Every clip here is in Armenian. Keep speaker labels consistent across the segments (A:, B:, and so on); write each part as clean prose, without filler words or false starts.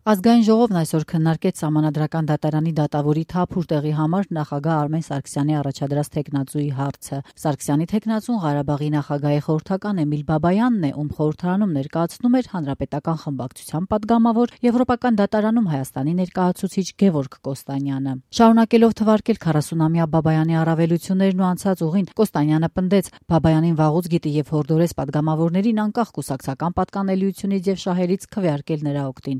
A: Ազգային ժողովն այսօր քննարկեց Սահմանադրական դատարանի դատավորի թափուր տեղի համար նախագահ Արմեն Սարգսյանի առաջադրած թեկնածուի հարցը։ Սարգսյանի թեկնածուն Ղարաբաղի նախագահի խորհրդական Էմիլ Բաբայանն է, ում խորհրդարանում ներկայացնում էր հանրապետական խմբակցության պատգամավոր, Եվրոպական դատարանում Հայաստանի ներկայացուցիչ Գևորգ Կոստանյանը։ Շարունակելով թվարկել 40-ամյա Բաբայանի առավելություններն ու անցած ուղին, Կոստանյանը պնդեց, Բաբայանին վաղուց գիտի եւ հորդորեց պատգամավորներին անկախ կուսակցական պատկանելիությունից եւ շահերից քվեարկել նրա օգտին։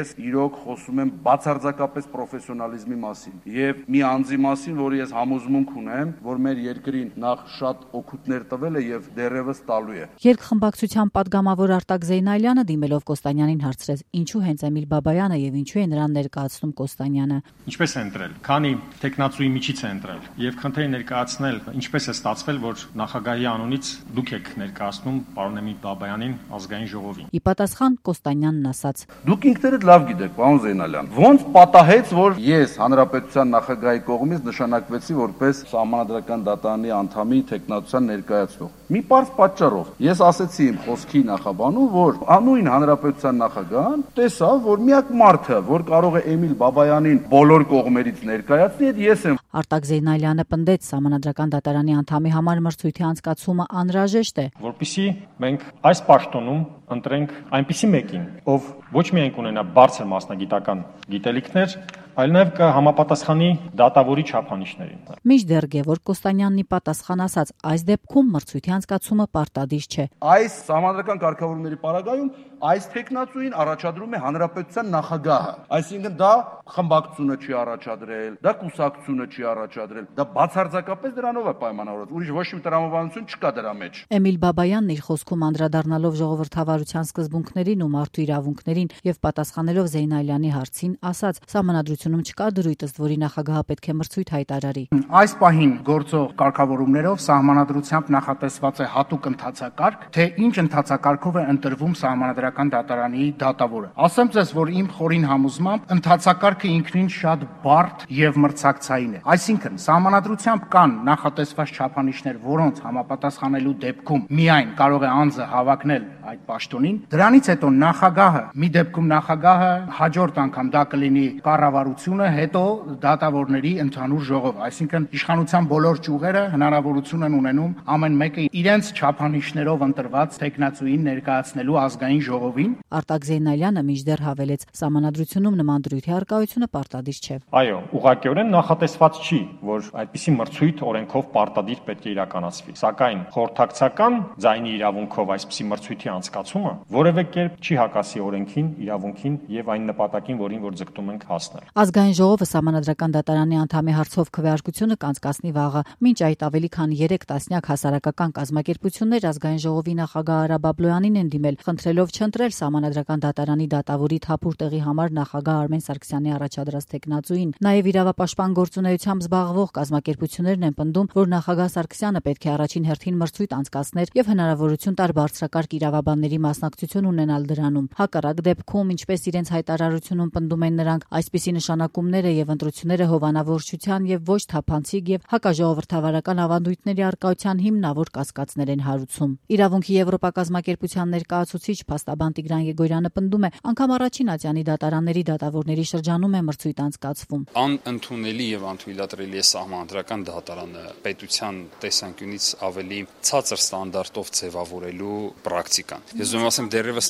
B: Ես իրոք խոսում եմ բացարձակապես պրոֆեսիոնալիզմի մասին եւ մի անձի մասին, որի ես համոզմունք ունեմ, որ մեր երկրին նախ շատ օգուտներ տվել է եւ դեռևս տալու է։
A: Երկխմբակցության պատգամավոր Արտակ Զեյնալյանը դիմելով Կոստանյանին հարցրեց, ինչու հենց Էմիլ Բաբայանը եւ ինչու է նրան ներկայացնում Կոստանյանը։
C: Ինչպես է ընտրել, քանի տեխնացուի միջից է ընտրել եւ քննեի ներկայացնել, ինչպես է ստացվել, որ նախագահի անունից դուք եք ներկայացնում պարոն Էմիլ Բաբայանին ազգային ժողովին։
A: Ի պատասխան Կոստանյանն ասաց.
B: Դուք ինքներդ լավ գիտեք, պարոն Զեյնալյան, ոնց պատահեց, որ ես հանրապետության նախագահի կողմից նշանակվեցի որպես Սահմանադրական դատարանի անդամի թեկնածության ներկայացնող։ Մի պարզ պատճառով։ Ես ասեցի իմ խոսքի նախաբանում, որ անույն հանրապետության նախագահան տեսավ, որ միակ մարդը, որ կարող է Էմիլ Բաբայանին բոլոր կողմերից ներկայացնի, ես եմ։
A: Արտակ Զեյնալյանը պնդեց, Սահմանադրական դատարանի անդամի համար մրցույթի անցկացումը անհրաժեշտ է,
C: որպեսզի մենք այս պաշտոնում ընտրենք այնպիսի մեկին, ով ոչ միայն կունենա բարձր մասնագիտական գիտելիքներ, այլ նաև կհամապատասխանի դատավորի չափանիշներին։
A: Մինչդեռ Գևորգ Կոստանյանն ի պատասխան ասաց, այս դեպքում մրցույթի անցկացումը պարտադիր չէ։
B: Այս Սահմանադրական կարգավորումների պարագայում այս թեկնածուին առաջադրում է հանրապետության նախագահը, այսինքն դա խմբակցությունը չի առաջադրել, դա կուսակցությունը չի առաջադրել, դա բացարձակապես դրանով է պայմանավորված, ուրիշ ոչ մի տրամաբանություն չկա դրա մեջ։
A: Էմիլ Բաբայանն իր խոսքում անդրադառնալով ժողովրդավարության սկզբունքներին ու մարդու իրավունքներին եւ պատասխանելով Զեյնալյանի հարցին, ասաց, Սահմանադրությունում չկա դրույթ, ըստ որի նախագահը պետք է մրցույթ հայտարարի։
D: Այս պահին գործող կարգավորումներով Սահմանադրությամբ նախատեսված է հատուկ ընթացակարգ, թե ինչ ընթացակարգով է ընտրվում Սահմանադրական դատարանի դատավորը։ Ասեմ ձեզ, որ իմ խորին համոզմամբ ընթացակարգը ինքնին շատ բարդ եւ մրցակցային է։ Այսինքն Սահմանադրությամբ կան նախատեսված չափանիշներ, որոնց համապատասխանելու դեպքում միայն կարող է անձը հավակնել այդ պաշտոնին։ Դրանից հետո նախագահը, մի դեպքում նախագահը հաջորդ անգամ դա կլինի կառավարությունը, հետո դատավորների ընդհանուր ժողով, այսինքն իշխանության բոլոր ճյուղերը հնարավորություն են ունենում ամեն մեկը իրենց չափանիշներով ընտրված տեխնացուին ներկայացնելու ազգային ժողովին։
A: Արտակ Զեյնալյանը մինչդեռ հավելեց, Սահմանադրությունում նման դրույթի առկայությունը պարտադիր չէ։
C: Այո, ուղղակիորեն նախատեսված չի, որ այդպիսի մրցույթ օրենքով պարտադիր պետք է իրականացվի, սակայն խորհրդակցական ձայնի իրավունքով այսպիսի մրցույթի անցկացումը որևէ կերպ չի հակասի օրենքին, իրավունքին եւ այն նպատակին, որին որ ձգտում ենք հասնել։
A: Ազգային ժողովը Սահմանադրական դատարանի անդամի հարցով քվեարկությունը կանցկացնի վաղը։ Մինչ այդ ավելի քան 3 տասնյակ հասարակական կազմակերպություններ Ազգային ժողովի նախագահ Արա Բաբլոյանին են դիմել, խնդրելով չընտրել Սահմանադրական դատարանի դատավորի թափուր տեղի համար նախագահ Արմեն Սարգսյանի առաջադրած թեկնածուին։ Նաև իրավապաշտպան գործունեությամբ զբաղվող կազմակերպություններն են պնդում, որ նախագահ Սարգսյանը պետք է առաջին հերթին մրցույթ անցկացներ եւ հնարավորություն տար բարձրակարգ իրավաբանների մասնակցություն ունենալ դրանում։ Հակառակ դեպքում, ինչպես իրենց հայտարարությունում պնդում են նրանք, այսպիսի նշանակումները եւ ընտրությունները հովանավորչության եւ ոչ թափանցիկ եւ հակաժողովրդավարական ավանդույթների առկայության հիմնավոր կասկածներ են հարուցում։ Իրավունքի Եվրոպակազմակերպության ներկայացուցիչ փաստաբան Տիգրան Եգորյանը պնդում է, անգամ առաջին ատյանի դատարանների դատավորների շրջանում է մրցույթ անցկացվում։
E: Անընդունելի եւ անթույլատրելի է Սահմանադրական դատարանը պետության տեսանկյունից ավելի ցածր ստանդարտով ձևավորելու պրակտիկան։ Ես ուզում ասեմ դեռևս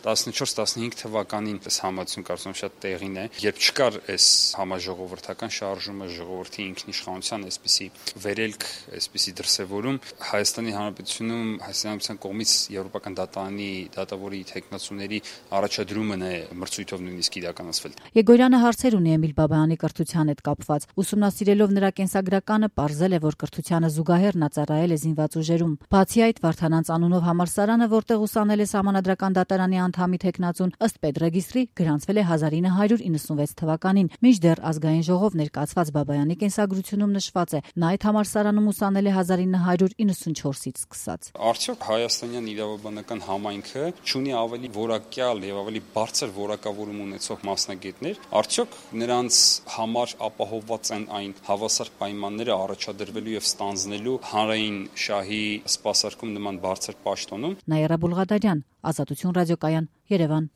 E: 14-15 թվականին այս համացություն կարծում շատ տեղին է, երբ չկար այս համաժողովրդական շարժումը, ժողովրդի ինքնիշխանության այսպիսի վերելք, այսպիսի դրսևորում, Հայաստանի Հանրապետությունում Հայաստանյան կողմից Եվրոպական դատարանի դատավորի թեկնածուների առաջադրումն է մրցույթով նույնիսկ իրականացվել։
A: Եգորյանը հարցեր ունի Էմիլ Բաբայանի կրթության հետ կապված։ Ուսումնասիրելով նրա կենսագրականը, պարզել է, որ կրթությանը զուգահեռ նա ծառայել է զինված ուժերում։ Բացի այդ, Վարդանանց անունով համալսարանը, որտեղ ուսանել է Սահմանադրական դատարանի անդամի թեկնածուն, ըստ պետրեգիստրի գրանցվել է 1996 թվականին։ Մինչդեռ Ազգային ժողով ներկայացված Բաբայանի կենսագրությունում նշված է, նա այդ համալսարանում ուսանել է 1994-ից սկսած։
E: Արդյոք հայաստանյան իրավաբանական համայնքը չունի ավելի որակյալ եւ ավելի բարձր որակավորում ունեցող մասնագետներ, արդյոք նրանց համար ապահովված են այն հավասար պայմանները առաջադրվելու եւ ստանձնելու հանրային շահի սպասարկում նման բարձր պաշտոնում։
A: Նաիրա Բուլղադարյան, Ազատություն ռադիոկայան, Երևան։